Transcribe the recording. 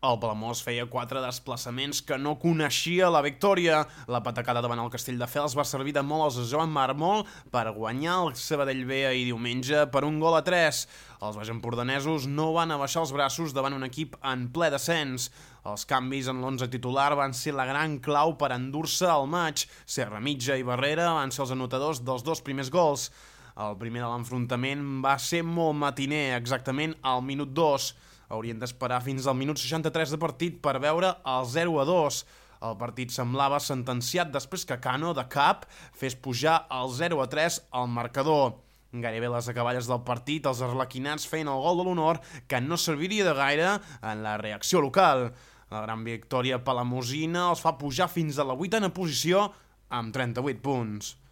El Palamós feia 4 desplaçaments que no coneixia la victòria. La patacada davant el Castelldefels va servir de molt als Joan Marmol per guanyar el Sabadell B ahir diumenge per 1-3. Els baixempordanesos no van abaixar els braços davant un equip en ple descens. Els canvis en l'11 titular van ser la gran clau per endur-se al maig. Serra Mitja i Barrera van ser els anotadors dels 2 primers gols. El primer de l'enfrontament va ser molt matiner, exactament al minut 2. Haurien d'esperar fins al minut 63 de partit per veure el 0-2. El partit semblava sentenciat després que Cano, de cap, fes pujar el 0-3 al marcador. Gairebé a les acaballes del partit, els arlequinats feien el gol de l'honor que no serviria de gaire en la reacció local. La gran victòria palamosina els fa pujar fins a la 8a posició amb 38 punts.